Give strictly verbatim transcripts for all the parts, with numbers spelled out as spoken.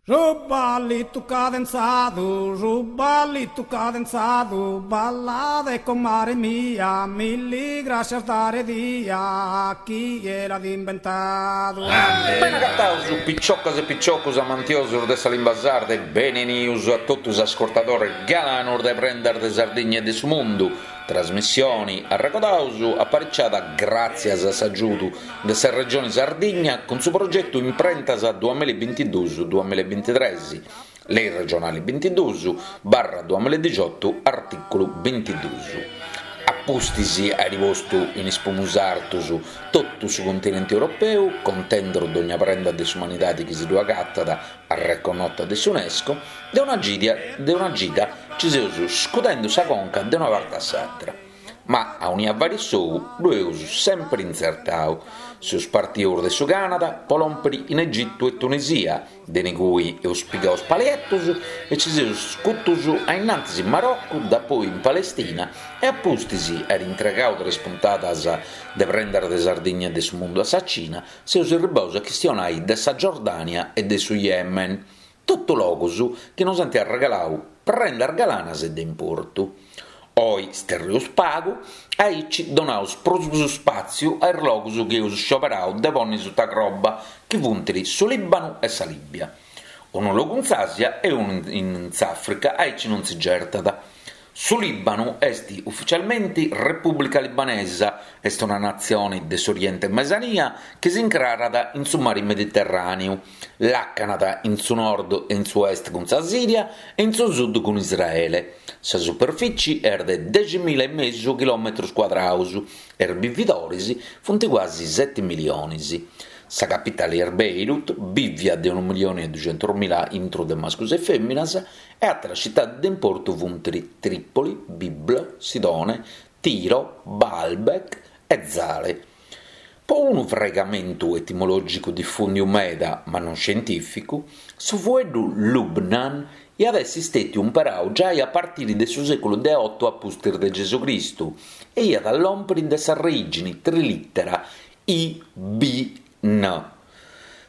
Su ballitu cadenzadu, su ballitu cadenzadu, ballade comare mia, milli grascias dare dia, chie l'at imbentadu. Bene agataus piciocas e piciocus amantiosus de sa limba sarda e benenius a totu is ascurtadores galanus de Prendas de Sardigna e de su Mundu, trasmissioni, arregodaus, apariciada gràtzias a s'agiudu de sa Regioni Sardigna cun su progetu Imprentas duamilla e bintiduus duamilla e bintitres, Lei regionali bintiduus barra duamilla e dixiotu artìculu bintiduus. A pustis àiri postu in is pumus artus totu su continenti europeu, contendu dogna prenda de s'umanidadi chi si ddu agatat arreconnota de s'Unesco, de una de una cida ci seus scudendu sa conca de una parti a s'atra. Ma aunia fait s'ou ddu eus sempri intzertau. Seus partius de su Canada po lòmpiri in Egitu e Tunisia, de inigui eus pigau is palietus e ci seus scutus a innantis in Maroccu, dapoi in Palestina e a pustis àiri intregau tres puntadas de Prendas de Sardigna e de su Mundu a sa Cina, seus erribaus a chistionai de sa Giordania e de su Yemen. Totu logus chi nos ant arregalau prendas galanas e de importu. Oi sterrius pagu, aici donaus prus spàtziu a is logus chi eus scioberau de ponni suta croba, chi funt su Lìbanu e sa Lìbia. Unu logu in s'Àsia e unu in s'Àfrica, aici non si gertat. Su Lìbanu est uficialmenti Repùblica Libanesa, est una natzione de s'Oriente Mesania chi s'incrarat in su mari Mediterràneu. Làcanat in su nord e in su est cun sa Sìria e in su sud cun Israele. Sa superfici est de deximila e mesu chilòmetrus cuadraus e is bividoris funt cuasi seti milionis. Sa capitali est Beirut, bìvia de unu milioni e duxentus mila intru de mascus e fèminas, e àteras citadis de importu funt Trìpoli, Biblo, Sidone, Tiro, Baalbek e Zahle. Po unu fraigamentu etimològicu difùndiu meda, ma non scientìficu, su fueddu Lubnan iat essi stètiu imperau giai a partiri de su sèculu de oto a pustis de Gesucristu e iat a lòmpiri de s'arreìgini trilìtera I B N,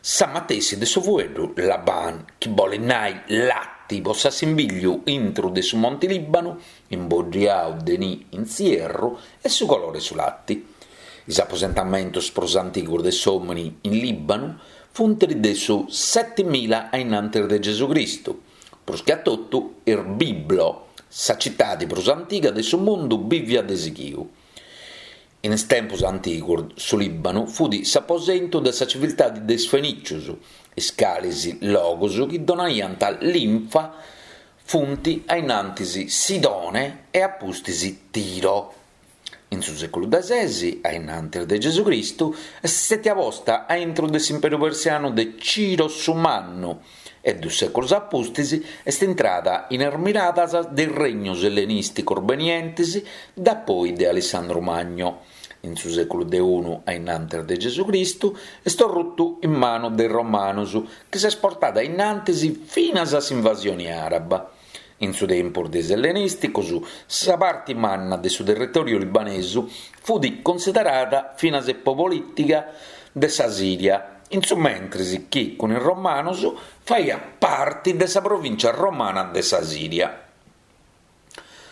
sa matessi de su fueddu Laban, chi bolit nai latti po s'assimbìlliu intru de su Monti Lìbanu, imboddiau de nì in s'ierru, e su colore 'e su latti. Is aposentamentos prus antigus de s'òmini in Lìbanu funt de su setimila a innantis de Gesucristu, prus che a totu is Biblo, sa citadi prus antiga de su mundu bìvia de sighiu. In is tempus antigus su Lìbanu fut s'aposentu de sa civiltadi de is Fenìcius, is calis logus chi donaiant linfa funt a innantis Sidone e a pustis Tiro. In su sèculu de ses, a innantis de Gesucristu, est stètia posta a intru de s'Imperu Persianu de Ciro su Mannu e dus sèculos a pustis est intrada in is miradas de is regnos ellenìsticos benientes dapoi de Alissandru Magno. In su sèculu de unu a innantis de Gesucristu est orrutu in manu de is Romanos chi s'est portada a innantis finas a s'invasione àraba. In su tempus de is ellenìsticos sa parti manna de su territòriu libanesu fut considerada finas po polìtica de sa Sìria, in su mentris chi cun is Romanos faiat parti de sa provìncia romana de sa Sìria.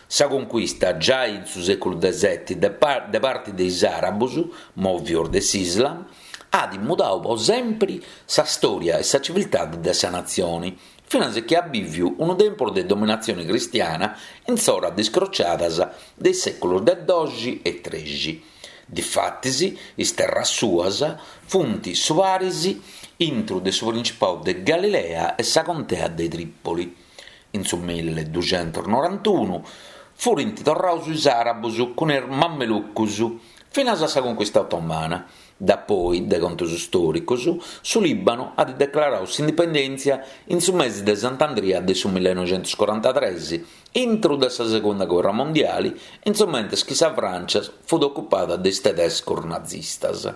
Sa conquista, giai in su sèculu de seti, de parti de is àrabos, mòvios de s'Islam, at mudadu po sempri sa stòria e sa civiltade de sa natzione, finas chi at bìviu unu tempus de dominatzione cristiana in s'ora de is crociadas de is sèculos de doxi e trexi. Difatis, is terras suas funt su paris intru de su Principau de Galilea e sa Contea de Trìpoli. In su mille duxentos norantunu furint torraus is àrabos cun is Mamelucos, finas a sa conquista otomana. Dapoi, de contos stòricos, su Lìbanu at declaradu s'indipendèntzia in su mesi de Sant'Andria de su millenoixentos-corantatres, intru de sa Segunda Guerra Mondiali, in su mentres chi sa Frància fut ocupada de is tedescos nazistas.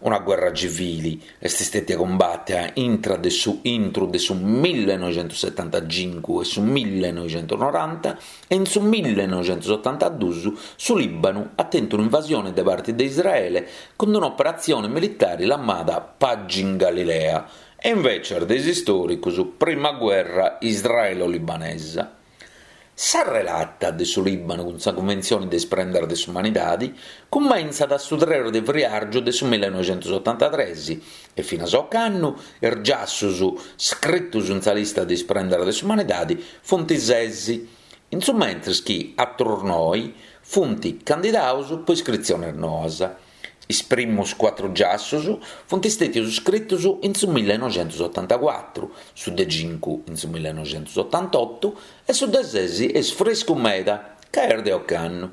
Una guerra civili est stètia cumbàtia intra de su intru de su millenoixentos-setantacincu e su millenoixentos-noranta e in su millenoixentos-otantaduus su Lìbanu at tentu un'invasione de parti de Israele cun un'operatzione militare lamada Pagi in Galilea e invècias de is istòricus Prima Guerra Israelo-Libanesa. Sa relata de su Lìbanu cun sa Cunventzione de is Prendas de s'Umanidade cumentzat su tres de friàrgiu de su millenoixentosotantatres e finas a ocannu is giassos scritos in sa lista de is Prendas de s'Umanidade funt ses, in su mentres chi àteros noe funt candidados pro iscritziones noas. Is primos cuatru giassos funt istètios iscritos in su millenoixentosotantacuatru, su de cincu in su millenoixentosotantotu e su de ses est friscu meda, ca est de ocannu.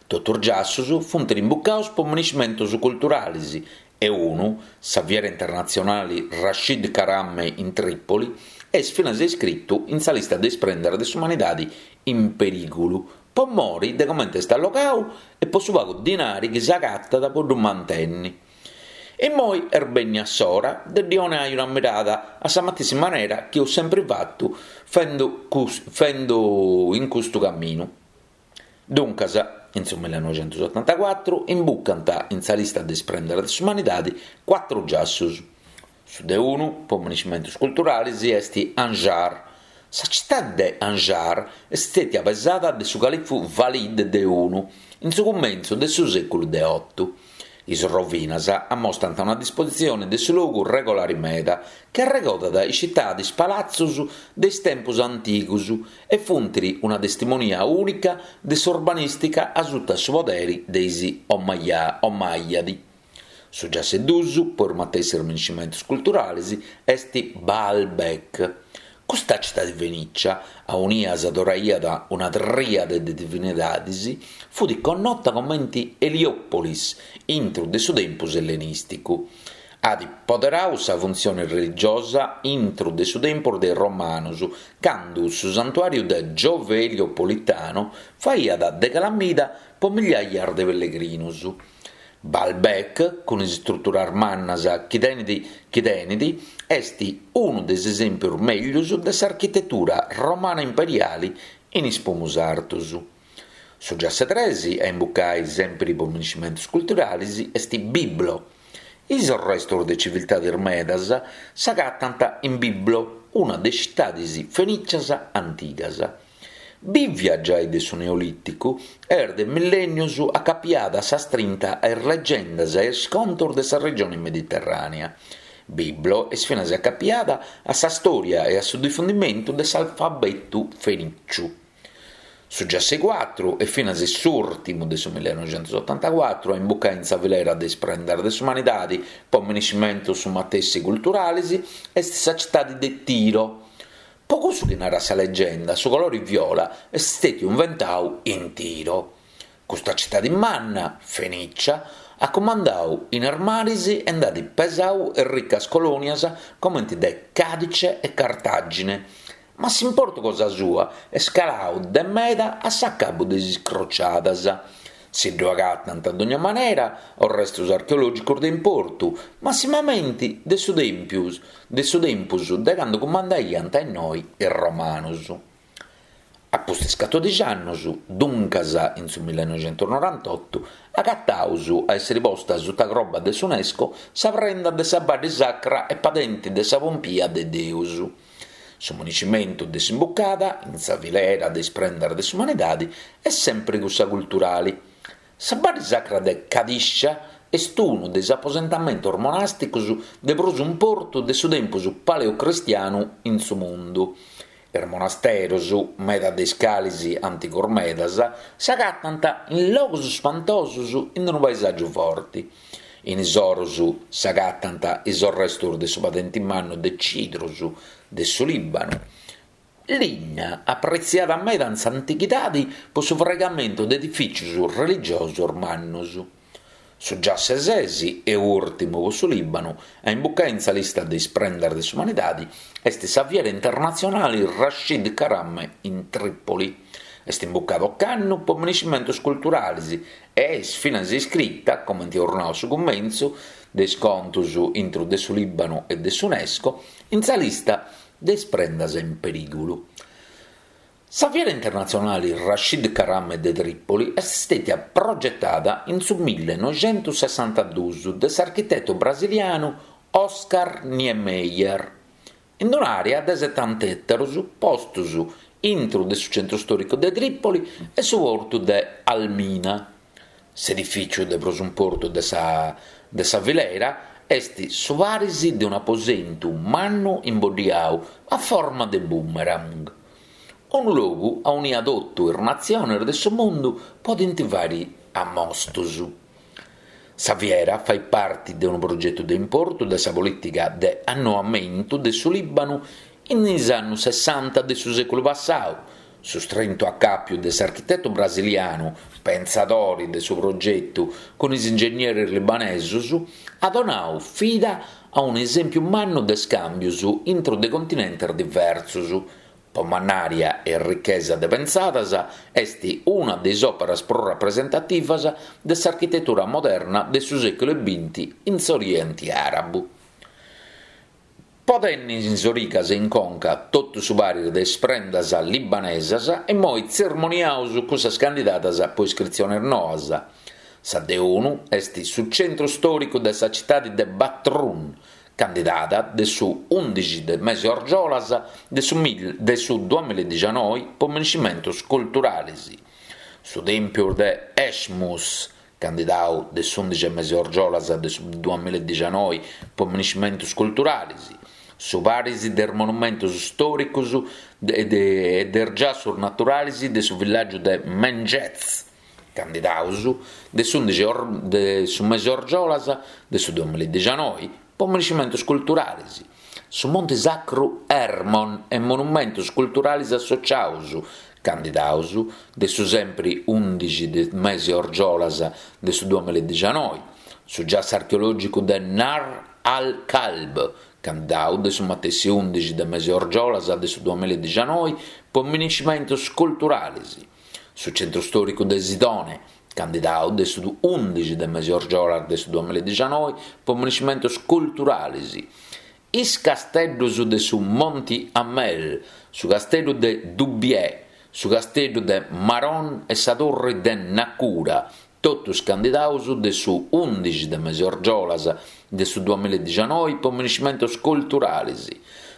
Totu is giassos funt imbucados pro miniscimentos culturales e unu, sa Fiera Internatzionale Rashid Karame in Trìpoli, est finas iscritu in sa lista de is prendas de s'umanidade in perìgulu, pro more de comente est allogadu e pro su pagu dinari chi s'agatat pro ddu mantènnere. Immoi est bènnida s'ora de ddi donare una mirada a sa matessi manera chi eus sempri fatu fendu, fendu in custu caminu. Duncas, in su millenoixentosotantacuatru imbucant in sa lista de is prendas de s'umanidade cuatru giassos. Su de unu, pro miniscimentos culturales, est Anjar. Sa citade de Anjar est istètia pesada de su califu Valid de unu in su cumentzu de su sèculu de oto. Is rovinas ammostrant una dispositzione de su logu regolare meda, chi arregodat is citades palatzos de is tempos antigos e funt una testimonia ùnica de s'urbanìstica a suta su podere de is Omayyadi. Su giassu duus, pro is matessi miniscimentos culturales, est Baalbek. Custa citade fenìcia, aunia s'adoraiat una trìade de divinidades, fut connota comente Eliòpolis intro de su tempus ellenìsticu. At poderadu sa funtzione religiosa intro de su tempus de is Romanos, cando su santuàriu de Giove Eliopolitano faghiat de calamida pro migliàias de pellegrinos. Baalbek, cun is istruturas mannas chi tenet, chi tenet, est unu de is esèmpios mègius de s'architetura romana imperiale in is pomos artos. Su giassu tres, a imbucare semper pro miniscimentos culturales, est Biblo. Is restos de tziviltades medas s'agatant in Biblo, una de is citades fenìcias antigas. Bìvia giai de su Neolìticu, est de millènnios acapiada a sa strinta a is legendas e a is contos de sa regione mediterrànea. Biblo est finas acapiada a sa stòria e a su difundimentu de s'alfabetu fenìciu. Su giassu cuatru e finas s'ùrtimu de su millenoixentosotantacuatru a imbucare in sa filera de is prendas de s'umanidade pro miniscimentos su matessi culturales est sa citade de Tiro. Pro cussu chi narat sa legenda, su colore viola est istètiu inventadu in Tiro. Custa citade manna, fenìcia, at cumandadu in is mares e nd'at pesadu ricas colònias comente de Cadice e Cartàgine. Ma s'importu cosa sua est caladu de meda a s'acabu de is crociadas. Si ddu agatant a dogna manera restos archeològicos de importu, massimamente de su tempus de su tempus de cando cumandaiant innoi is Romanos. A pustis catòdixi annos, duncas in su millenoixentonorantotu, agataus a èssere posta suta croba de s'UNESCO sa prenda de sa Badde Sacra e Padente de sa Pompia de Deus. Su miniscimentu de s'imbucada, in sa filera de is prendas de s'umanidade, est sempre cussa culturale. Sa Badde Sacra de Cadiscia est unu de is aposentamentos monàsticos de prus importu de su tempus paleocristianu in su mundu. Is monasteros, meda de is cales antigos medas, s'agatant in logos ispantosos in unu paesàgiu forte. In is oros s'agatant is restos de su padente mannu de cidros de su Lìbanu. Linna apretziada meda in s'antighidade pro su fraigamentu de edifìtzios religiosos mannos. Su giassu ses e ùrtimu pro su Lìbanu a imbucare in sa lista de is prendas de s'umanidade est sa Fiera Internatzionale Rashid Karame in Trìpoli. Est imbucada ocannu pro miniscimentos culturales e est finas iscrita, comente eus nadu a su cumentzu, de is contos intro de su Lìbanu e de s'UNESCO, in sa lista de is prendas in perìgulu. Sa Fiera Internatzionale Rashid Karame de Trìpoli est istètia progetada in su millenoixentosessantaduos de s'architeto brasilianu Oscar Niemeyer, in un'àrea de setanta ètaros postos intro de su centru stòricu de Trìpoli e su portu de Al-Mina. S'edifìtziu de prus importu de sa de sa filera est su paris de un'aposentu mannu imboddiadu a forma de boomerang. Unu logu aunia totu is natziones de su mundu podent fàghere ammostos. Sa fiera fait parte de unu progetu de importu de sa polìtica de annoamentu de su Lìbanu in is annos sessanta de su sèculu passadu. Su strintu acàpiu de s'architetu brasilianu, pensadore de su progetu cun is ingegneris libanesos, at donadu vida a un'esèmpiu mannu de iscàmbios intro de continentes diversos. Po mannària e richesa de pensadas est una de is òperas prus rapresentativas de s'architetura moderna de su sèculu binti in s'Oriente Àrabu. Po tenni in is origas e in conca totu su paris de is prendas libanesas, immoi tzermoniaus cussas candidadas po iscritziones noas. Sa de unu est su centru stòricu de sa citade de Batroun, candidada de su ùndixi de mese orgiolas de su de su duamilla e dixanoi po miniscimentos culturales. Su tèmpiu de Eshmus, candidadu de s'ùndixi de mese orgiolas de su duamilla e dixanoi po miniscimentos culturales. Su paris de is monumentos stòricos e de is giassos naturales de su villàgiu de Menjez, candidados de s'ùndixi de su mese orgiolas de su duamilla e dixanoi po miniscimentos culturales. Su Monte Sacru Hermon e monumentos culturales associados, candidados de su sempri ùndixi de mese orgiolas de su duamilla e dixanoi. Su giassu archeològicu de Nahr al-Kalb, candidadu de su matessi ùndixi de mese orgiolas de su duamilla e dixanoi po miniscimentos culturales. Su centru stòricu de Sidone, candidadu de su ùndixi de mese orgiolas de su duamilla e dixanoi po miniscimentos culturales. Is casteddos de su Monti Hamel, su casteddu de Dubieh, su casteddu de Maron e sa torre de Naqoura, totus candidados de su ùndixi de mese orgiolas de su duamilla e dixanoi po miniscimentos culturales.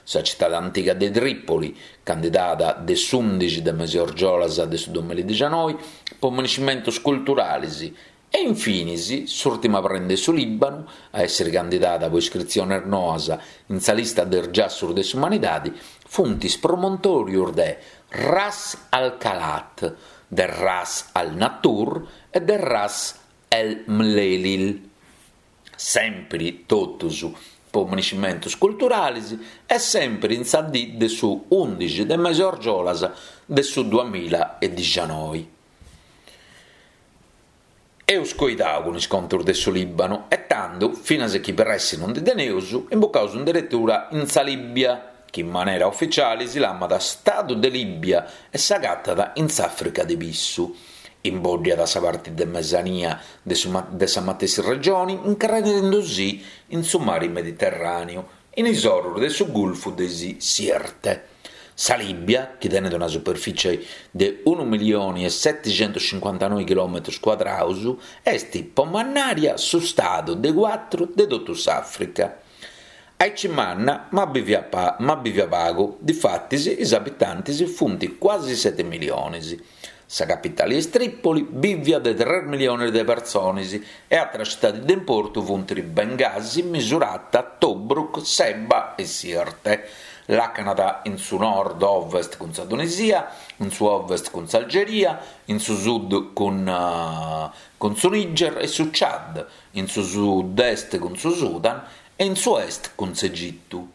Sa citade antiga de Trìpoli, candidada de s'ùndixi de mese orgiolas de su duamilla e dixanoi po miniscimentos culturales. E infinis, s'ùrtima prenda de su Lìbanu, a èssere candidada po iscritziones noas in sa lista de is giassos de s'umanidade, funt is promontòrios de Ras al-Kalat, de Ras al-Natur e de Ras el-Mlelil. Sempri totus po miniscimentos culturales e sempri in sa dì de su ùndixi de mese orgiolas de su duamilla e dixanoi. Eus coidadu cun is contos de su Lìbanu e tando, finas chi pressi non ndi teneus, imbucaus in deretura in sa Lìbia, chi in manera ufitziale si lamat Stadu de Lìbia e s'agatat in s'Àfrica de Pissu. Imbòddiat sa parte de mesania de, su, de sa matessi regione, incrarendu-si in su mare Mediterràneu, in is oros de su Gulfu de Sirte. Sa Lìbia, chi tenet una superfìtzie de unu milione e setechentocincuantanoi chilòmetros cuadrados, est po mannària su stadu de cuatru de totu s'Àfrica. Aici manna, ma bivia, pa, ma bivia pagu, difatis is abitantes funt quasi sete miliones. Sa capitale est Trìpoli, bivia de tres miliones de persones e àteras citades de importu funt Bengasi, Misurata, Tobruk, Seba e Sirte. Làcanat in su nord-ovest cun sa Tunisia, in su ovest cun s'Algeria, in su sud cun, uh, cun su Niger e su Chad, in su sud-est cun su Sudan e in su est cun s'Egitu.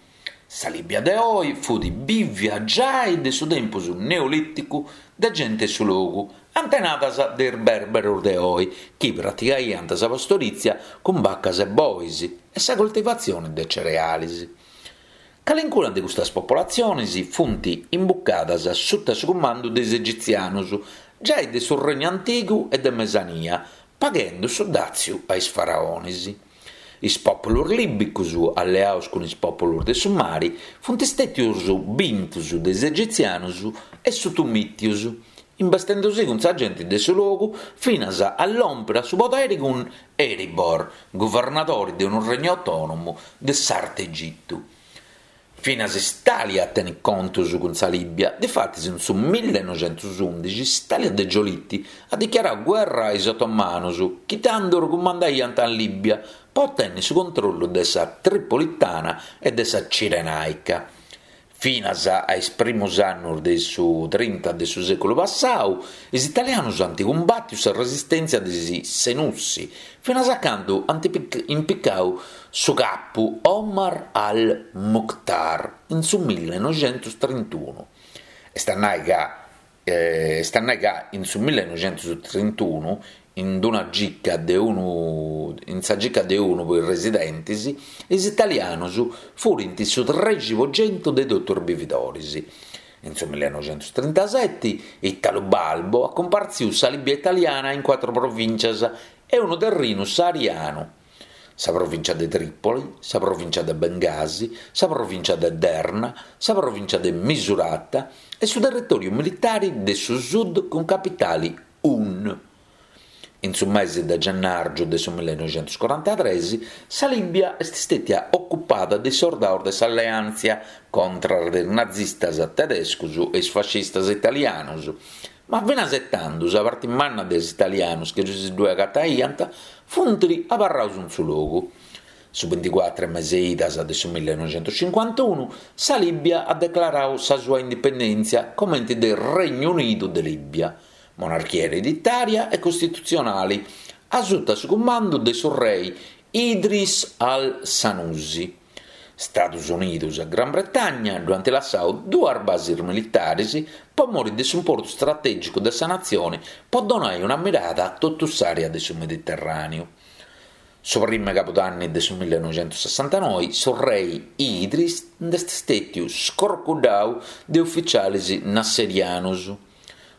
Sa Lìbia de oe fut bivia giai de su tempus neolìticu de gente 'e su logu, antenadas de is bèrberos de oe, chi praticaiant sa pastorìtzia cun bacas e bois e sa coltivatzione de cereales. Calincuna de custas popolatziones funt imbucadas sutta su cumandu de is egitzianos, giai de su Regnu Antigu e de Mesania, paghende su dàtziu a is faraones. Is pòpulos lìbicos, alleados cun is pòpulos de su mare, funt istètios bintos de is egitzianos e sutumìtios. imbestendusì cun sa genti de su logu finas a lòmpere a su poderi cun Heribor, guvernadori de unu regnu autònomu de s'Artu Egitu. Finas s'Itàlia tenit contos cun sa Lìbia, difatis in su millenoixentusùndixi s'Itàlia de Giolitti at dichiaradu guerra a is otomanos, chi tando cumandaiant in Lìbia, pro otènnere su controllu de sa Tripolitana e de sa Cirenàica. Finas a is primos annos de su trinta de su sèculu passadu, is italianos ant cumbàtidu sa resistèntzia de is Senussi, finas a cando ant impicadu su capu Omar al-Mukhtar in su millenoixentustrintunu. Est a nàrrere ca est a nàrrere ca in su millenoixentustrintunu, in una gica de unu in sa gica de unu pro is residentes, is italianos furint su trexi pro centu de totu is bividores. In su millenoixentustrintaseti Italo Balbo at cumpartzidu sa Lìbia italiana in cuatru provìntzias e unu terrinu saharianu: sa provìntzia de Trìpoli, sa provìntzia de Bengasi, sa provìntzia de Derna, sa provìntzia de Misurata e su territòriu militare de su sud cun capitale Hun. In su mese de gennàrgiu de su millenoixentuscorantatrès sa Lìbia est istètia ocupada de is sordados de s'alleàntzia contra de is nazistas tedescos e is fascistas italianos, ma finas e tando sa parte manna de is italianos chi si ddoe agataiant funt abarrados in su logu. Su binticuatru mese idas de su millenoixentuscincuantunu sa Lìbia at declaradu sa sua indipendèntzia comente de Regnu Unidu de Lìbia, monarchia ereditària e costitutzionale, a suta su cumandu de su re Idris al-Sanusi. Stados Unidos e Gran Bretagna ddo'ant lassadu duas bases militares pro more de s'importu istratègicu de sa natzione pro donare una mirada a totu s'àrea de su Mediterràneu. Su primu cabudanni de su millenoixentusessantanoe su re Idris nd'est istètiu scorcuddadu de ufitziales nasserianos.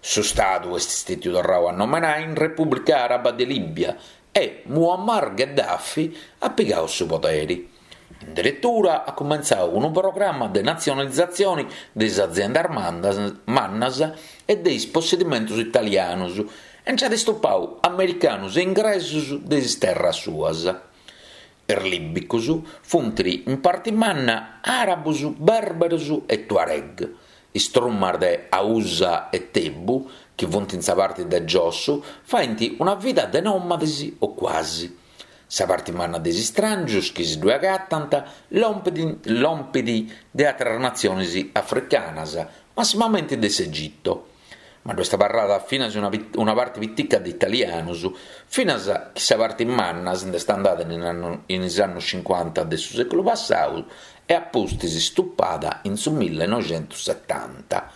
Su Stadu est istètiu torradu a nomenare in Repùblica Àraba de Lìbia e Muammar Gheddafi at pigadu su podere. In deretura at cumentzadu unu programma de natzionalizatzione de is aziendas mannas e de is possedimentos italianos e nch'at istupadu americanos e ingresos de is terras suas. Is lìbicos funt in parte manna àrabos, bèrberos e tuareg. Is trumas de Hausa e Tebu, chi funt in sa parte de giosso, faent una vida de nòmades o quasi. Sa parte manna de is istràngios chi si ddoe agatant lompet de àteras natziones africanas, massimamente de s'Egitto. Ma ddoe est abarrada finas una, una parte pitica de italianos, finas chi sa parte manna si nd'est andada in, in is annos cincuanta de su sèculu passadu e a pustis istupada in su millenoixentusetanta.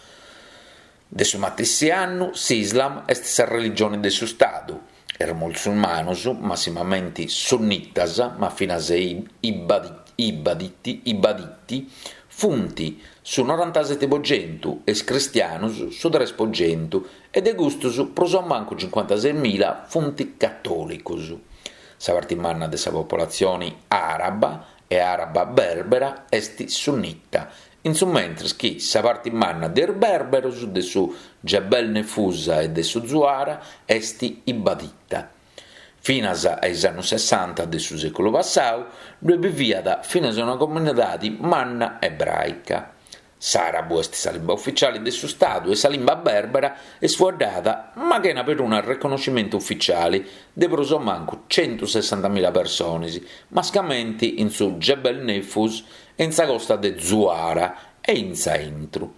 De su matessi annu s'Islam est sa religione de su Stadu. Is musulmanos, massimamente sunnitas, ma finas ibaditi, ibaditi, funt su norantasete pro centu e is cristianos su tres pro centu e de custos prus o mancu cincuantases mila funt catòlicos. Sa parte manna de sa populatzione àraba e àraba bèrbera est sunnita, in su mentres chi sa parte manna de is bèrberos de su Jebel Nefusa e de su Zuara est ibadita. Finas a is annos sessanta de su sèculu passadu ddoe biviat finas una comunidade manna ebràica. S'àrabu est sa limba ufitziale de su Stadu e sa limba bèrbera est fueddada, ma chena perunu reconnoschimentu ufitziale, de prus o mancu centusessantamila persones, mascamente in su Jebel Nefus e in sa costa de Zuara e in s'aintru.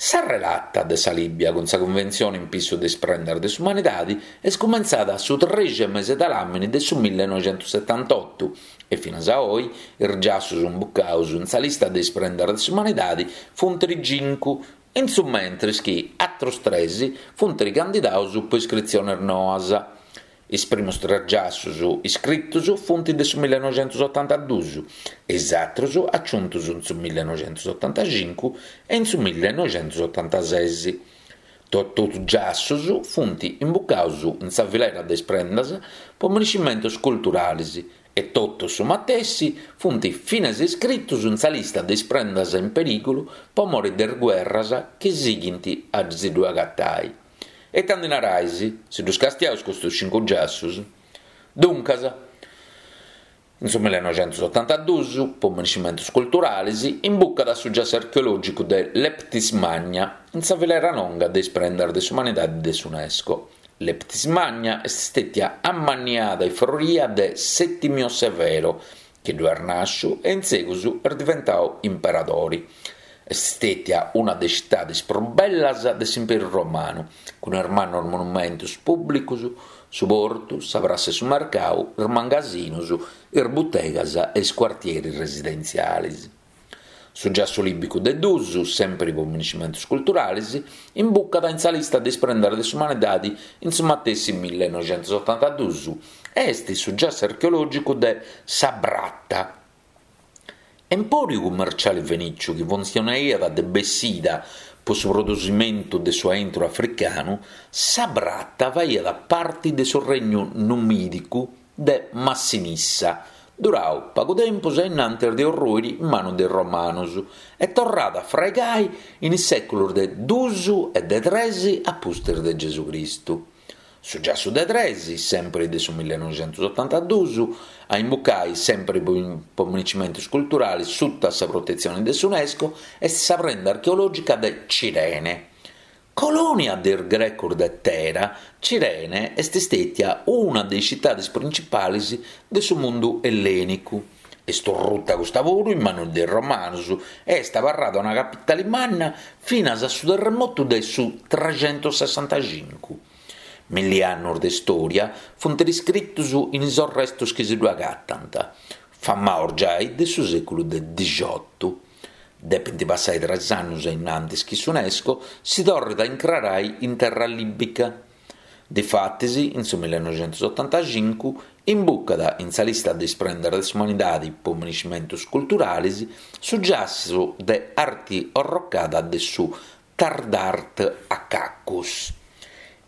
Sa relata de sa Lìbia cun sa Cunventzione in pissu de is prendas de s'umanidade est cumentzada su trexi mese de ladàmini de su millenoixentusetantotto e finas a oe is giassos imbucados in sa lista de is prendas de s'umanidade funt cincu, in su mentres chi àteros tres funt candidados pro iscritziones noas. Is primos tres giassos iscritos funt de su millenoixentusotantaduos e is àteros aciuntos in su millenoixentusotantacincu e in su millenoixentusotantases. Totu is giassos funt imbucados in sa filera de is prendas pro merescimentos culturales e totus su matessi funt finas iscritos in sa lista de is prendas in perìgulu pro more de is guerras chi sighint a si ddoe agatare. E ita ndi narais, si ddus castiaus custus cincu giassus? Duncas, in su millenoixentusotantaduus, po minescimentus culturalis, imbucat su giassu archeològicu de Leptis Magna in sa filera longa de is prendas de s'umanidadi de s'Unesco. Leptis Magna est stètia amanniada e froria de Settimio Severo, chi ddu est nàsciu e in segus est diventau imperadori. Est stètia una de is citadis prus bellas de s'Imperu Romanu, cun is mannus monumentus pùblicus, su portu, sa prassa 'e su mercau, is mangasinus, is butegas e is cuartieris residentzialis. Su giassu lìbicu de duus, sèmpiri po minescimentus culturalis, imbucat in sa lista de is prendas de s'umanidadi in su matessi millenoixentusotantaduus e est su giassu archeològicu de Sabratha. Empòriu cummerciali fenìciu chi funtzionaiat de bessida po su produsimentu de su aintru africanu, Sabratha faiat parti de su regnu numìdicu de Massinissa, durau pagu tempus a innantis de orrùiri in manu de is romanus e torrada a fraigai in is sèculus de duus e de tres a pustis de Gesucristu. Su giassu de tres, sèmpiri de su millenoixentusotantaduus, a imbucai sèmpiri po minescimentus culturalis suta sa protetzioni de s'Unesco, est sa prenda archeològica de Cirene. Colònia de is grecus de Tera, Cirene est stètia una de is citadis principalis de su mundu ellènicu. Est orruta custa puru in manu de is romanus e est abarrada una capitali manna finas a su terremotu de su trexentussessantacincu. Milli annus de stòria funt iscritus in is orrestus chi si ddu agatant, famaus giai de su sèculu de dixiotu. Depint passai tres annus a innantis chi s'Unesco si torrit a incrarai in terra lìbica. Difatis, in su millenoixentusotantacincu, imbucat in sa lista de is prendas de s'umanidadi po minescimentus culturalis su giassu de arti orrocada de su Tadrart Acacus.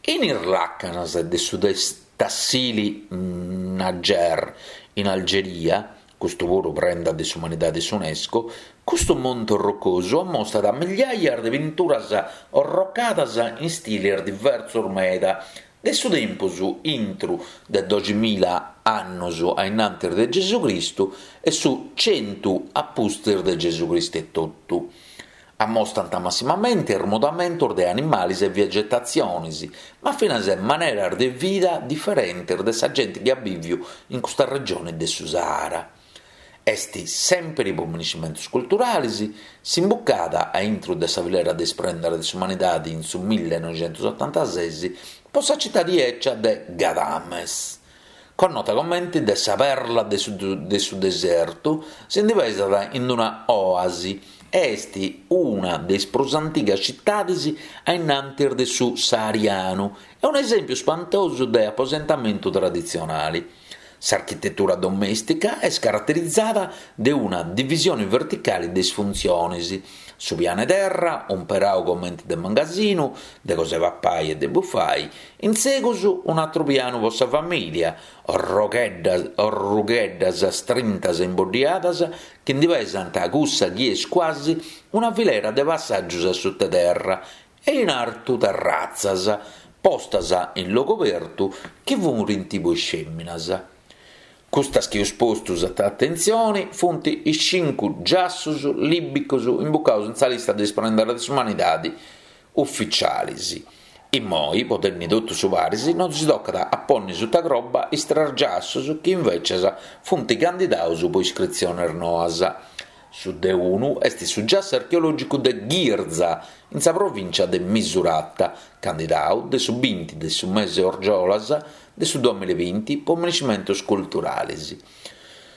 In is làcanas de su Tassili n'Ajjer, in Algeria, custu puru prenda de s'umanidade de s'Unesco, custu monte orrocosu ammostat migliaias de pinturas orrocadas in stiles diversos meda, de su tempus intru de doximila annos a innantis de Gesucristu e su centu a pustis de Gesucristu etotu. Ammostant massimamenti is mudamentos de animales e vegetatziones, ma finas maneras de vida diferentes de sa gente chi at bìviu in custa regione de su Sahara. Est sèmpiri po minescimentus culturales, s'imbucada a intro de sa filera de is prendas de s'umanidade in su millenoixentusotantases po sa citade 'ecia de Gadames. Connota comente de sa perla de su, de su desertu, si ndi pesat in una oasi e est una de is prus antigas citades a innantis de su saharianu e un'esèmpiu spantosu de aposentamentu traditzionale. S'architetura domèstica est caraterizada de una divisione verticale de is funtziones, su pianu 'e terra, umperau comente de mangasinu, de cosa 'e papai e de bufai, in segus un'atru pianu po sa famìlia, orrogheddas, orrugheddas strintas e imboddiadas chi ndi pesant cussa chi est quasi una filera de passàgios a suta terra e in artu terratzas, postas in logu obertu chi furint po is fèminas. Custas chi eus postu suta atentzione funt is cincu giassus lìbicos imbucaus in sa lista de is prendas de s'umanidade uficiales. Immoi, po tenni totu su paris, non si tocat a ponni suta croba is tres giassus chi invecias funt candidaus po iscritziones noas. Su de unu est su giassu archeològicu de Ghirza, in sa provìncia de Misurata, candidau de su binti de su mese Orgiolas de su duamilla e binti po minescimentos culturales.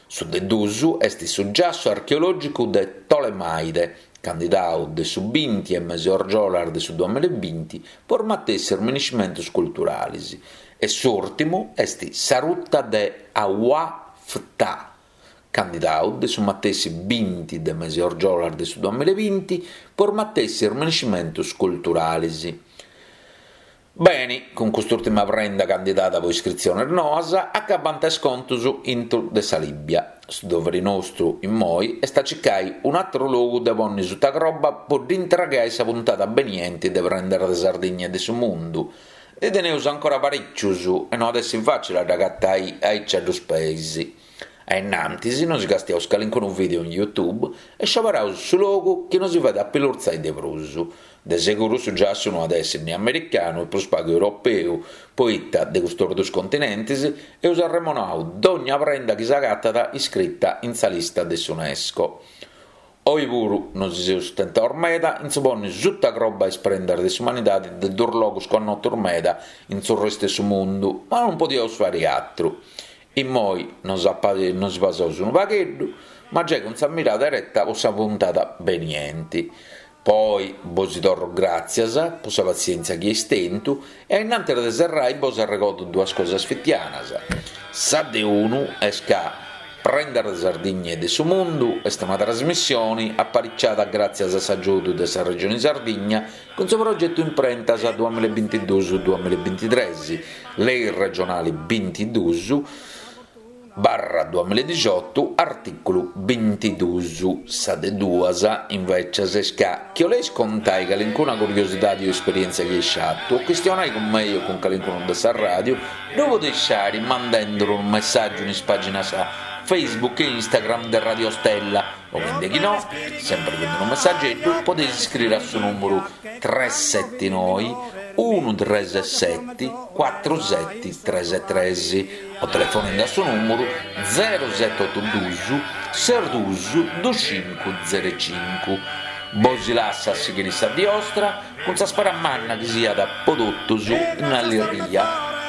Su de duus est su giassu archeològicu de Tolemaide, candidau de su binti e mese Orgiolas de su duamilla e binti po is matessis minescimentos culturales. E s'ùrtimu est sa ruta de Haua Ftah, candidau de su matessi binti de mese Orgiolas de su duamilla e binti po is matessis minescimentos culturales. Beni, cun cust'ùrtima prenda candidada po iscritziones noas, acabant is contos intro de sa Lìbia. Su doveri nostru, immoi, est a circai un'àteru logu de ponni suta croba po dd'intregai sa puntada beniente de Prendas de Sardigna e de su Mundu. Ndi teneus ancora parìcius e no at essi fàcili a dd'agatai aici a duus peis. A innantis nosi castiaus calincunu video in YouTube e scioberaus su logu chi nosi fait apilurtzai de prus. De seguru su giassu no at essi ni americanu e prus pagu europeu, poita de custos duus continentis eus arremonau dònnia prenda chi s'agatat iscrita in sa lista de s'UNESCO. Oi puru nosi seus tentaus meda in su ponni suta croba is prendas de s'umanidadi de duus logus connotus meda in su restu de su mundu, ma non podiaus fari atru. Immoi nos nos pasaus unu pagheddu, ma giai cun sa mirada ereta po sa puntada benienti. Poi bosi torro gràtzias po sa passièntzia chi eis tentu e a innantis de serrai bos arregodo duas cosas fitianas. Sa de unu est ca Prendas de Sardigna e de su Mundu est una trasmissione apariciada gràtzias a s'agiudu de sa Regione Sardigna cun su progetu Imprentas duamilla e bintiduus duamilla e bintitres, Lei regionale bintiduus barra duamilla e dixiotu, artìculu bintiduus. Sa de duas, invècias, est ca chi 'oleis contai calincuna curiosidadi o esperièntzia chi eis fatu o chistionai cun mei o cun calincunu de sa ràdiu, ddu podeis fari mandenduru unu messàgiu in is pàginas Facebook e Instagram de Radio Stella o chindechinò, sempri cun unu messageddu, podeis iscriri a su nùmuru tres seti noi unu tres seti cuatru seti tres tres o telefonendi a su nùmuru zero seti otu duus ses duus dus cincu zero cincu. Bosi lassu a sighiri sa dì 'ostra cun sa spera manna chi siat po totus in allirghia,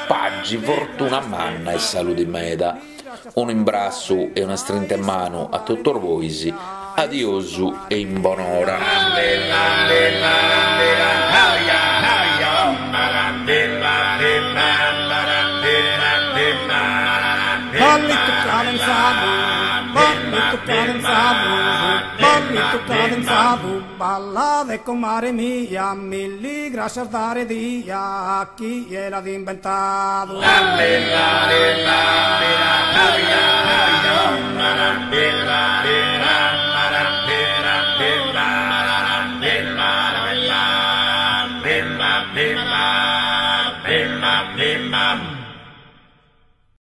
pagi, fortuna manna e saludi meda. Unu imbrassu e una strinta 'e manu a totus bois, adiosu e in bonora. Ballitu cadenzadu, ballitu cadenzadu, ballitu cadenzadu, ballade comare mia, milli grascias dare dia, chie l'at inventadu.